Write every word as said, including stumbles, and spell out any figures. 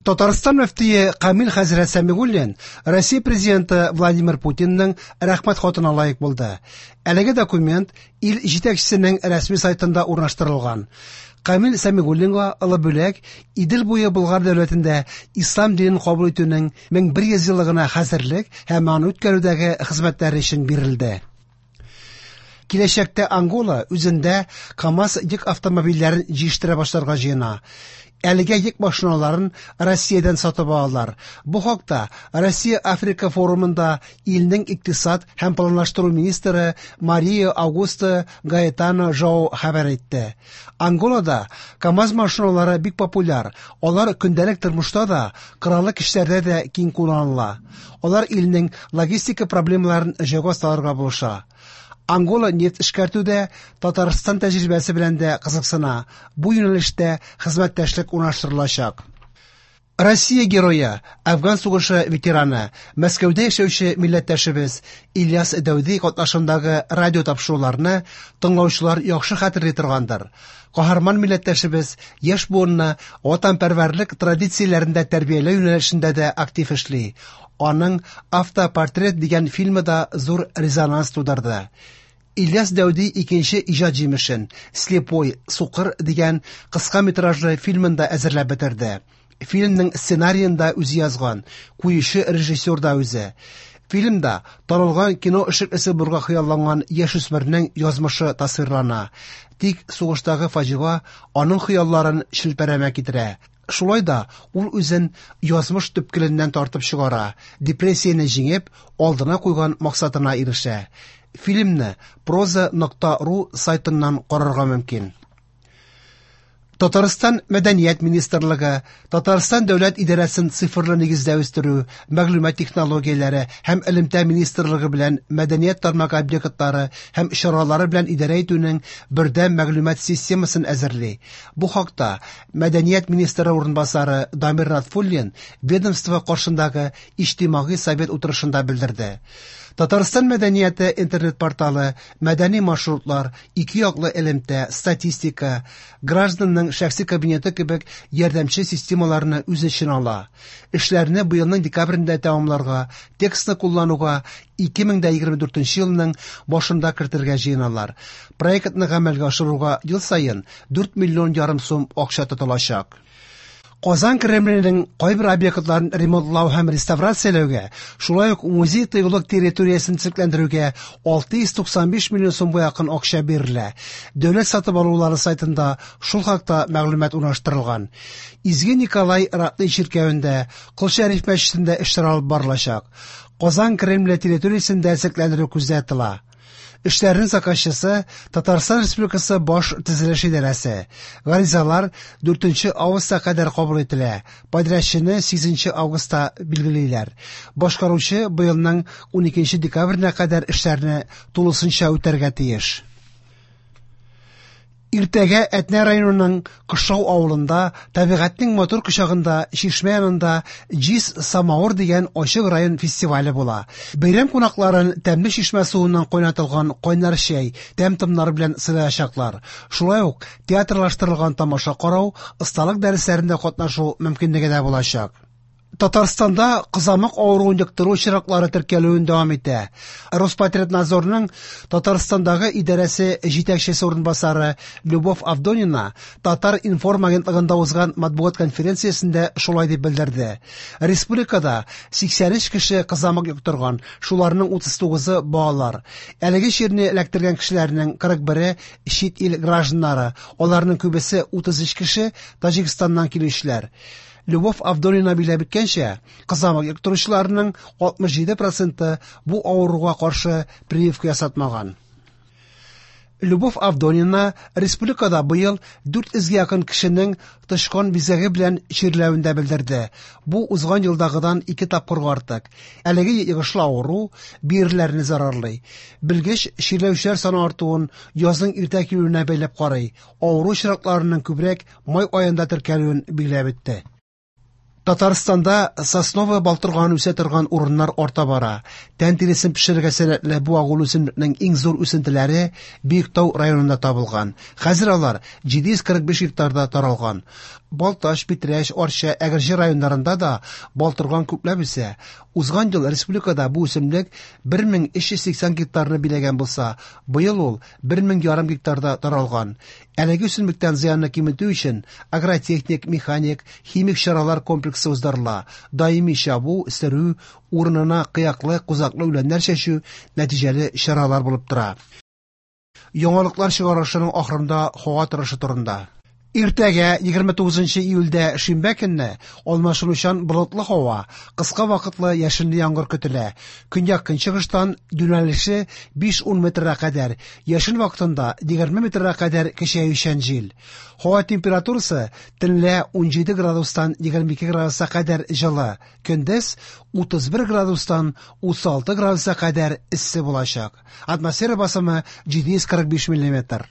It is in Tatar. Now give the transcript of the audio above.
Татарстан мөфтие Камил хәзрәт Сәмигуллин Россия президенты Владимир Путинның рәхмәт хатына лаек булды. Әлеге документ ил җитәкчесенең рәсми сайтында урнаштырылган. Камил Сәмигуллинга олы бүләк Идел буе Болгар дәүләтендә ислам динен кабул итүнең мең бер йөз еллыгына хәзерлек һәм аны үткәрүдәге хезмәтләре өчен бирелде. Киләчәктә Ангола үзендә КАМАЗ йөк автомобильләрен җыештыра башларга җыена. Әлегә йөк машиналарын Россиядән сатып алалар. Бу хакта Россия-Африка форумында илнең икътисад һәм планлаштыру министры Мария Аугуста Гаэтано Жоу хәбәр итте. Анголада КАМАЗ машиналары бик популяр. Алар көндәлек тормышта да, кораллы көчләрдә дә киң кулланыла. Алар илнең логистика проблемаларын җайга салырга булыша. Ангола нефть эшкәртүдә Татарстан тәҗрибәсе белән дә кызыксына. Бу юнәлештә хезмәттәшлек урнаштырылачак. Россия герое, Афган сугышы ветераны, Мәскәүдә яшәүче милләттәшебез Ильяс Дәүди катнашындагы радио тапшыруларны тыңлаучылар яхшы хәтерли торгандыр. Каһарман милләттәшебез яшь буынны ватанпәрвәрлек традицияләрендә тәрбияләү юнәлешендә дә актив эшли. Аның «Автопортрет» дигән фильмы да зур резонанс тудырды. Ильяс Дәүди икенче иҗат җимешен «Слепой, сукыр» дигән кыска метражлы фильмын да әзерләп бетерде. Фильмның сценариен да үзе язган, куючы режиссер да үзе. Фильмда танылган кино эшлеклесе булырга хыялланган яшүсмернең язмышы тасвирлана. Тик сугыштагы фаҗига аның хыялларын челпәрәмә китерә. Шулай да ул үзен язмыш төпкеленнән тартып чыгара, депрессияне җиңеп, алдына куйган максатына ирешә. Фильмны проза нокта ру сайтыннан карарга мөмкин. Татарстан Мәдәният министрлыгы, Татарстан дәүләт идарәсен цифрлы нигездә үстерү, мәгълүмат технологияләре һәм элемтә министрлыгы белән мәдәният тармагы объектлары һәм чаралары белән идарә итүнең бердәм мәгълүмат системасын әзерли. Бу хакта Мәдәният министры урынбасары Дамир Натфуллин ведомство каршындагы иҗтимагый совет утырышында белдерде. Татарстан мәдәнияте интернет-порталы, мәдәни маршрутлар, ике яклы элемтә, статистика, гражданның шәхси кабинеты кебек ярдәмче системаларны үз эченә ала. Эшләрне быелның декабрендә тәмамларга, текстны куллануга ике мең дә егерме дүртенче елның башында кертергә җыеналар. Проектны гамәлгә ашыруга ел саен дүрт миллион ярым сум акча тотылачак. Казан Кремленең кайбер объектларын ремонтлау һәм реставрацияләүгә, шулай ук музей тыюлык территориясен төзекләндерүгә алты йөз туксан биш миллион сумга якын акча бирелә. Дәүләт сатып алулары сайтында шул хакта мәгълүмат урнаштырылган. Изге Николай Ратный чиркәвендә, Кол Шәриф мәчетендә эшләр алып барылачак. Казан Кремле территориясендә төзекләндерү күздә тотыла. Эшләрнең заказчысы Татарстан Республикасы Баш төзелеш идарәсе. Гаризалар дүртенче августка кадәр кабул ителә. Подрядчыны сигезенче августта билгелиләр. Башкаручы быелның уникенче декабренә кадәр эшләрне тулысынча үтәргә тиеш. Иртәгә Әтнә районының Кышау авылында табигатьнең матур кочагында чишмә янында Җиз самавыр дигән ачык район фестивале була. Бәйрәм кунакларын тәмле чишмә суыннан кайнатылган кайнар чәй, тәм-томнар белән сыйлаячаклар. Шулай ук театрлаштырылган тамаша карау, осталык дәресләрендә катнашу мөмкинлеге дә булачак. Татарстанда кызамык авыруын йоктыру очраклары теркәлүен дәвам итә. Роспотребнадзорның Татарстандагы идарәсе җитәкчесе урынбасары Любовь Авдонина Татар-информ агентлыгында узган матбугат конференциясендә шулай дип белдерде. Республикада сиксән өч кеше кызамык йоктырган, шуларның утыз тугызы балалар. Әлеге чирне эләктергән кешеләрнең кырык бере чит ил гражданнары, аларның күбесе утыз өч кеше Таҗикстаннан килүчеләр. Любовь Авдонина билгеләп үткәнчә, кызамык йоктыручыларның алтмыш җиде проценты бу авыруга каршы прививка ясатмаган. Любовь Авдонина республикада быел дүрт йөзгә якын кешенең тычкан бизгәге белән чирләвен дә белдерде. Бу узган елдагыдан ике тапкырга артык. Әлеге йогышлы авыру бөерләрне зарарлый. Белгеч чирләүчеләр саны артуын язның иртә килүенә бәйләп карый. Авыру очракларының күбрәк май аенда теркәлүен билгеләп үтте. Татарстанда сосновая балтырган үсә торган урыннар арта бара. Тән тиресен пешерергә сәләтле бу агулы үсемлекнең иң зур үсентеләре Биектау районында табылган. Хәзер алар җиде йөз кырык биш гектарда таралган. Балтач, Питрәч, Арча, Әгерҗе районнарында да балтырган күпләп үсә. Узган ел республикада бу үсемлек бер мең өч йөз сиксән гектарны биләгән булса, быел ул бер мең ярым гектарда таралган. Әлеге үсемлектән зыянны киметү өчен агротехник, механик, химик чаралар комплексы уздырыла. Даими чабу, сөрү, урынына кыяклы, кузаклы үләннәр чәчү нәтиҗәле чаралар булып тора. Яңалыклар чыгарылышының ахырында һава торышы турында. Иртәгә егерме тугызынчы июльдә шимбә көнне алмашынучан болытлы һава, кыска вакытлы яшенле яңгыр көтелә. Көньяк-көнчыгыштан юнәлеше биш-ун метрга кадәр, яшен вакытында егерме метрга кадәр көчәючән җил. Һава температурасы төнлә унҗиде градустан егерме ике градуска кадәр җылы, көндез утыз бер градустан утыз алты градуска кадәр эссе булачак. Атмосфера басымы җиде йөз кырык биш миллиметр.